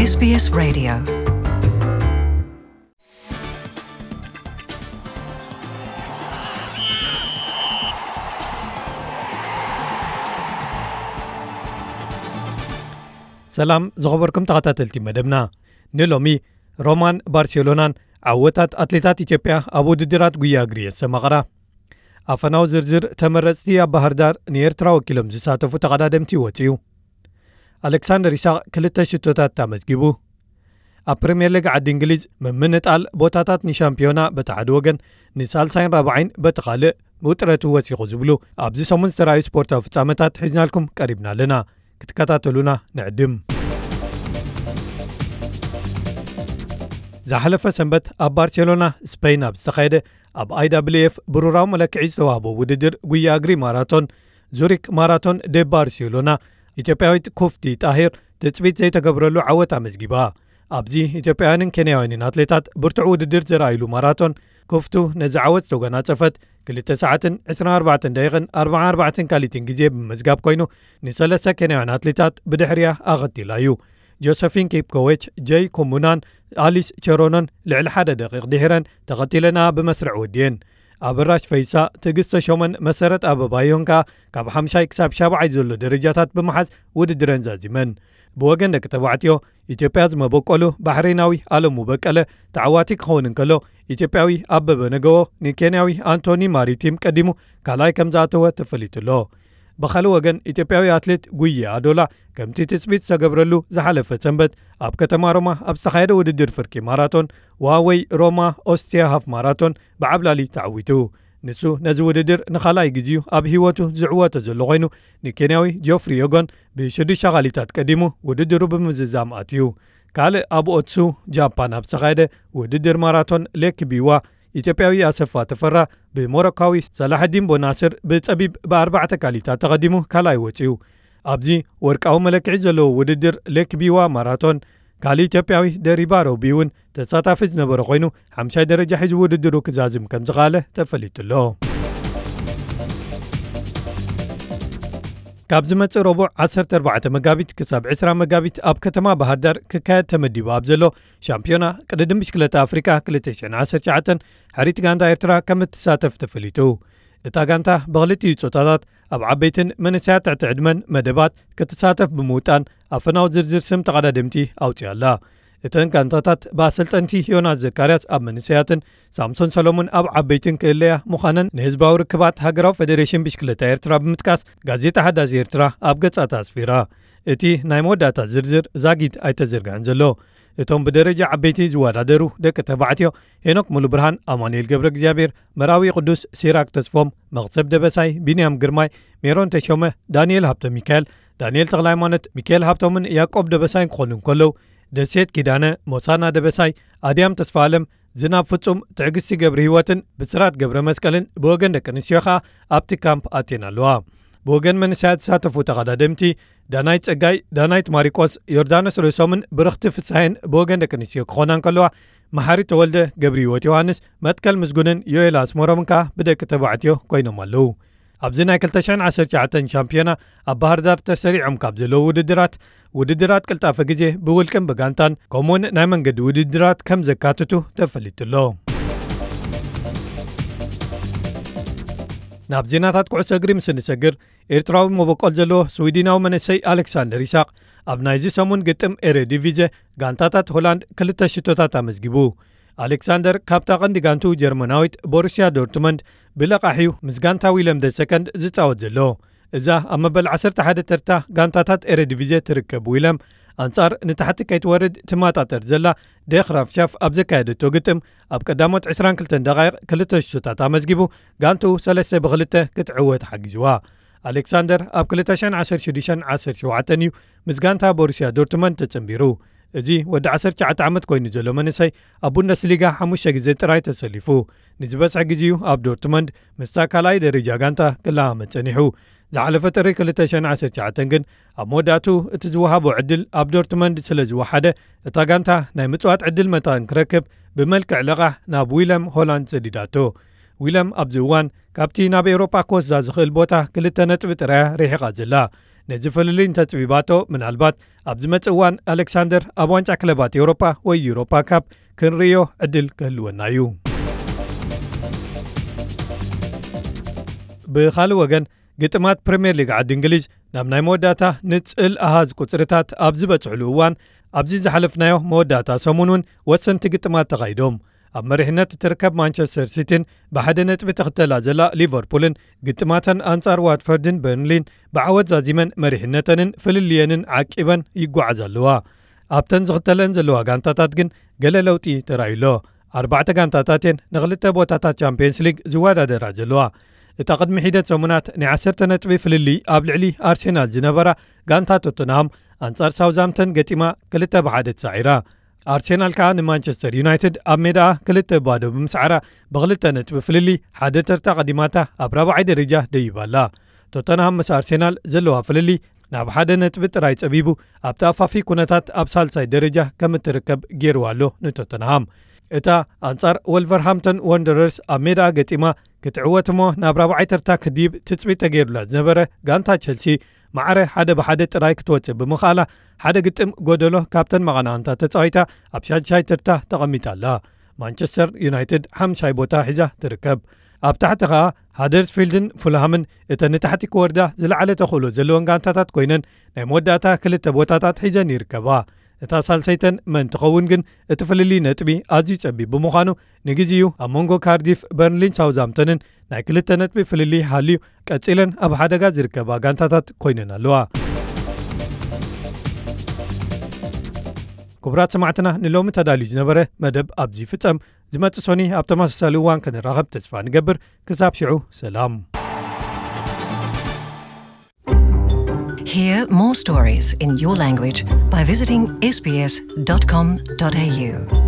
S B S Radio. ሰላም ዝኸበርኩም ተኸታተልቲ መደብና። ንሎሚ ሮማን ባርሴሎናን ዓወታት ኣትሌታት ኢትዮጵያ ኣብ ውድድራት ጉያ እግሪ የሰማቕራ። ኣፈናዊ ዝርዝር ተመረጽቲ ኣብ ባህር ዳር ንኤርትራ ወኪሎም ዝሳተፉ ተቐዳደምቲ ወጺኡ። ኣሌክሳንደር ኢሳቕ ክልተ ሽቶታት ኣመዝጊቡ። ኣብ ፕሪምየር ሊግ ዓዲ እንግሊዝ ምምንጣል ቦታታት ንሻምፒዮና በቲ ሓደ ወገን፣ ንሳልሳይን ራብዓይን በቲ ካልእ ውጥረቱ ወሲኹ ዝብሉ ኣብዚ ሰሙን ዝተራእዩ ስፖርታዊ ፍጻመታት ሒዝናልኩም ቀሪብና ኣለና። ክትከታተሉና ንዕድም። ዝሓለፈ ሰንበት ኣብ ባርሴሎና ስፔን ኣብ ዝተኻየደ ኣብ I W F ብሩራዊ መለክዒ ዝተዋህቦ ውድድር ጉያ እግሪ ማራቶን ዙሪክ ማራቶን ደ ባርሴሎና ኢትዮጵያዊት ኩፍቲ ጣሂር ትጽቢት ዘይተገብረሉ ዓወት ኣመዝጊባ። ኣብዚ ኢትዮጵያውያንን ኬንያውያንን ኣትሌታት ብርቱዕ ውድድር ዘርኣይሉ ማራቶን ኩፍቱ ነዚ ዓወት ዝተጎናጸፈት ክልተ ሰዓትን ዕስራን ኣርባዕተን ደቂቕን ኣርባዓን ኣርባዕተን ካሊትን ግዜ ብምምዝጋብ ኮይኑ ንሰለስተ ኬንያውያን ኣትሌታት ብድሕሪያ ኣኸቲላ እዩ። ጆሰፊን ኪፕኮዌች፣ ጀይ ኮሙናን ኣሊስ ቸሮኖን ልዕሊ ሓደ ደቂቕ ድሒረን ተኸቲለና ብመስርዕ ወዲየን። ኣበራሽ ፈይሳ፣ ትዕግስት ተሾመን መሰረት ኣበባዮን ከኣ ካብ ሓምሻይ ክሳብ ሻብዓይ ዘሎ ደረጃታት ብምሓዝ ውድድረን ዛዚመን። ብወገን ደቂ ተባዕትዮ ኢትዮጵያ ዝመበቆሉ ባሕሬናዊ ኣለሙ በቀለ ተዓዋቲ ክኸውን እንከሎ፣ ኢትዮጵያዊ ኣበበ ነገዎ ንኬንያዊ ኣንቶኒ ማሪቲም ቀዲሙ ካልኣይ ከም ዝኣተወ ተፈሊጡ ኣሎ። ብኻልእ ወገን ኢትዮጵያዊ ኣትሌት ጉየ ኣዶላ ከምቲ ትጽቢት ዝተገብረሉ ዝሓለፈ ሰንበት ኣብ ከተማ ሮማ ኣብ ዝተኻየደ ውድድር ፍርቂ ማራቶን ዋወይ ሮማ ኦስቲያ ሃፍ ማራቶን ብዓብላሊ ተዓዊቱ። ንሱ ነዚ ውድድር ንኻልኣይ ግዜኡ ኣብ ህይወቱ ዝዕወቶ ዘሎ ኮይኑ፣ ንኬንያዊ ጆፍሪ ዮጎን ብሽዱሽተ ካሊታት ቀዲሙ ውድድሩ ብምዝዛም ኣትዩ። ካልእ ኣብ ኦትሱ ጃፓን ኣብ ዝተኻየደ ውድድር ማራቶን ሌክ ቢዋ ኢትዮጵያዊ ኣሰፋ ተፈራ ብሞሮካዊ ሰላሐዲን ቦናስር ብጸቢብ ብኣርባዕተ ካሊታት ተቐዲሙ ካልኣይ ወጺኡ። ኣብዚ ወርቃዊ መለክዒ ዘለዎ ውድድር ሌክ ቢዋ ማራቶን ካልእ ኢትዮጵያዊ ደሪባ ሮቢ እውን ተሳታፊ ዝነበረ ኮይኑ ሓምሻይ ደረጃ ሒዙ ውድድሩ ክዛዝም ከም ዝኸኣለ ተፈሊጡ ኣሎ። ካብ ዝመጽእ ረቡዕ ዓሰርተ ኣርባዕተ መጋቢት ክሳብ ዕስራ መጋቢት ኣብ ከተማ ባህር ዳር ክካየድ ተመዲቡ ኣብ ዘሎ ሻምፒዮና ቅድድም ብሽክለታ ኣፍሪካ ክልተ ሽሕን ዓሰርተ ትሽዓተን ሕሪት ጋንታ ኤርትራ ከም እትሳተፍ ተፈሊጡ። እታ ጋንታ ብክልቲኡ ጾታታት ኣብ ዓበይትን መንእሰያት ትሕቲ ዕድመን መደባት ክትሳተፍ ብምውጣን ኣፈናዊ ዝርዝር ስም ተቐዳደምቲ ኣውጺኣ ኣላ። እተን ጋንታታት ብኣሰልጠንቲ ዮናስ ዘካርያስ ኣብ መንእሰያትን ሳምሶን ሰሎሙን ኣብ ዓበይትን ክእለያ ምዃነን ንህዝባዊ ርክባት ሃገራዊ ፌደሬሽን ብሽክለታ ኤርትራ ብምጥቃስ ጋዜጣ ሓዳስ ኤርትራ ኣብ ገጻታ ኣስፊራ። እቲ ናይ መወዳእታ ዝርዝር ዛጊት ኣይተዘርግሐን ዘሎ። እቶም ብደረጃ ዓበይቲ ዝወዳደሩ ደቂ ተባዕትዮ ሄኖክ ሙሉብርሃን፣ ኣማኑኤል ገብረ እግዚኣብሔር፣ መራዊ ቅዱስ፣ ሲራክ ተስፎም፣ መኽሰብ ደበሳይ፣ ቢንያም ግርማይ፣ ሜሮን ተሾመ፣ ዳንኤል ሃብተ ሚካኤል፣ ዳንኤል ተኽለ ሃይማኖት፣ ሚካኤል ሃብቶምን ያዕቆብ ደበሳይን ክኾኑ እንከለዉ፣ ደሴት ኪዳነ፣ ሞሳና ደበሳይ፣ ኣድያም ተስፋ ኣለም፣ ዝናብ ፍጹም፣ ትዕግስቲ ገብረ ህይወትን ብስራት ገብረ መስቀልን ብወገን ደቂ ኣንስትዮ ኸኣ ኣብቲ ካምፕ ኣትየን ኣለዋ። ብወገን መንእሰያት ዝሳተፉ ተቐዳደምቲ ዳናይት ጸጋይ፣ ዳናይት ማሪቆስ፣ ዮርዳኖስ ርእሶምን ብርኽቲ ፍስሃየን ብወገን ደቂ ኣንስትዮ ክኾና እንከለዋ፣ መሓሪ ተወልደ፣ ገብረ ህይወት ዮሃንስ፣ መትከል ምስጉንን ዮኤል ኣስመሮምን ከኣ ብደቂ ተባዕትዮ ኮይኖም ኣለዉ። ኣብዚ ናይ ክልተ ሽሕን ዓሰርተ ትሽዓተን ሻምፒዮና ኣብ ባህር ዳር ተሰሪዖም ካብ ዘለዉ ውድድራት፣ ውድድራት ቅልጣፈ ግዜ ብውልቅን ብጋንታን ከምኡውን ናይ መንገዲ ውድድራት ከም ዘካትቱ ተፈሊጡ ኣሎ። ናብ ዜናታት ኩዕሶ እግሪ ምስ እንሰግር፣ ኤርትራዊ መበቆል ዘለዎ ስዊድናዊ መንእሰይ ኣሌክሳንደር ይስሐቅ ኣብ ናይዚ ሰሙን ግጥም ኤረ ዲቪዜ ጋንታታት ሆላንድ ክልተ ሽቶታት ኣመዝጊቡ። ኣሌክሳንደር ካብታ ቀንዲ ጋንቱ ጀርመናዊት ቦሩስያ ዶርትመንድ ብለቓሕ እዩ ምስ ጋንታ ዊለም ደ ሰከንድ ዝጻወት ዘሎ። እዛ ኣብ መበል ዓሰርተ ሓደ ተርታ ጋንታታት ኤረ ዲቪዜ ትርከብ ዊለም ኣንጻር ንታሕቲ ከይትወርድ ትማጣጠር ዘላ ደ ግራፍሻፍ ኣብ ዘካየደቶ ግጥም ኣብ ቀዳሞት ዕስራን ክልተን ደቓይቕ ክልተ ሽቶታት ኣመዝጊቡ ጋንትኡ ሰለስተ ብክልተ ክትዕወት ሓጊዝዋ። ኣሌክሳንደር ኣብ ክልተ ሽሕን ዓሰርተ ሽዱሽተን ዓሰርተ ሸውዓተን እዩ ምስ ጋንታ ቦሩስያ ዶርትመንድ ተጸንቢሩ። እዚ ወዲ ዓሰርተ ትሽዓተ ዓመት ኮይኑ ዘሎ መንእሰይ ኣብ ቡንደስሊጋ ሓሙሽተ ግዜ ጥራይ ተሰሊፉ። ንዝበዝሐ ግዜኡ ኣብ ዶርትመንድ ምስታ ካልኣይ ደረጃ ጋንታ ክለሃመ ጸኒሑ። ዝሓለፈ ጥሪ ክልተ ሽሕን ዓሰርተ ትሽዓተን ግን ኣብ መወዳእቱ እቲ ዝወሃቦ ዕድል ኣብ ዶርትመንድ ስለ ዝወሓደ እታ ጋንታ ናይ ምጽዋት ዕድል መታን ክረክብ ብመልክዕ ለቓሕ ናብ ዊለም ሆላንድ ሰዲዳቶ። ዊለም ኣብዚ እዋን ካብቲ ናብ ኤውሮጳ ክወስዳ ዝኽእል ቦታ ክልተ ነጥቢ ጥራያ ርሒቓ ዘላ። ነዚ ፍልልይ እንተጽቢባቶ፣ ምናልባት ኣብ ዝመጽእ እዋን ኣሌክሳንደር ኣብ ዋንጫ ክለባት ኤውሮጳ ወይ ዩሮፓ ካፕ ክንርእዮ ዕድል ክህልወና እዩ። ብኻልእ ወገን፣ ግጥማት ፕሪምየር ሊግ ዓዲ እንግሊዝ ናብ ናይ መወዳእታ ንጽል ኣሃዝ ቁጽርታት ኣብ ዝበጽሕሉ እዋን፣ ኣብዚ ዝሓለፍናዮ መወዳእታ ሰሙን እውን ወሰንቲ ግጥማት ተኻይዶም። ኣብ መሪሕነት እትርከብ ማንቸስተር ሲቲን ብሓደ ነጥቢ ትኽተላ ዘላ ሊቨርፑልን ግጥማተን ኣንጻር ዋትፈርድን በርንሊን ብዓወት ዛዚመን መሪሕነተንን ፍልልየንን ዓቂበን ይጓዓዛ ኣለዋ። ኣብተን ዝኽተለን ዘለዋ ጋንታታት ግን ገለ ለውጢ ተራእዩ ኣሎ። ኣርባዕተ ጋንታታት እየን ንኽልተ ቦታታት ቻምፒየንስ ሊግ ዝወዳደራ ዘለዋ። እታ ቅድሚ ሒደት ሰሙናት ናይ ዓሰርተ ነጥቢ ፍልልይ ኣብ ልዕሊ ኣርሴናል ዝነበራ ጋንታ ቶተንሃም ኣንጻር ሳውዝሃምተን ገጢማ ክልተ ብሓደ ተሳዒራ። ኣርሴናል ከኣ ንማንቸስተር ዩናይትድ ኣብ ሜዳኣ ክልተ ባዶ ብምስዓራ ብኽልተ ነጥቢ ፍልልይ ሓደ ተርታ ቀዲማታ ኣብ ራብዓይ ደረጃ ደይባ ኣላ። ቶተንሃም ምስ ኣርሴናል ዘለዋ ፍልልይ ናብ ሓደ ነጥቢ ጥራይ ጸቢቡ ኣብቲ ኣፋፊ ኩነታት ኣብ ሳልሳይ ደረጃ ከም እትርከብ ገይርዋ ኣሎ ንቶተንሃም። እታ ኣንጻር ወልቨርሃምተን ወንደረርስ ኣብ ሜዳኣ ገጢማ ክትዕወት እሞ ናብ ራብዓይ ተርታ ክድይብ ትጽቢት ተገይሩላ ዝነበረ ጋንታ ቸልሲ ማዕረ ሓደ ብሓደ ጥራይ ክትወጽእ ብምኽኣላ ሓደ ግጥም ጎደሎ ካብተን መቐናቕንታ ተጻዊታ ኣብ ሻድሻይ ተርታ ተቐሚጣ ኣላ። ማንቸስተር ዩናይትድ ሓምሻይ ቦታ ሒዛ ትርከብ። ኣብ ታሕቲ ኸኣ ሃደርስፊልድን ፉልሃምን እተን ንታሕቲ ክወርዳ ዝለዓለ ተኽእሎ ዘለወን ጋንታታት ኮይነን ናይ መወዳእታ ክልተ ቦታታት ሒዘን ይርከባ። እታ ሳልሰይተን መን ትኸውን ግን እቲ ፍልልይ ነጥቢ ኣዝዩ ጸቢብ ብምዃኑ ንግዜኡ ኣብ መንጎ ካርዲፍ፣ በርንሊን ሳውዝሃምተንን ናይ ክልተ ነጥቢ ፍልልይ ሃልዩ ቀጺለን ኣብ ሓደጋ ዝርከባ ጋንታታት ኮይነን ኣለዋ። ክቡራት ሰማዕትና ንሎሚ ተዳልዩ ዝነበረ መደብ ኣብዚ ይፍጸም። ዝመጽእ ሶኒ ኣብ ተመሳሳሊ እዋን ክንራኸብ ተስፋ ንገብር። ክሳብ ሽዑ ሰላም። Hear more stories in your language by visiting S B S dot com dot A U.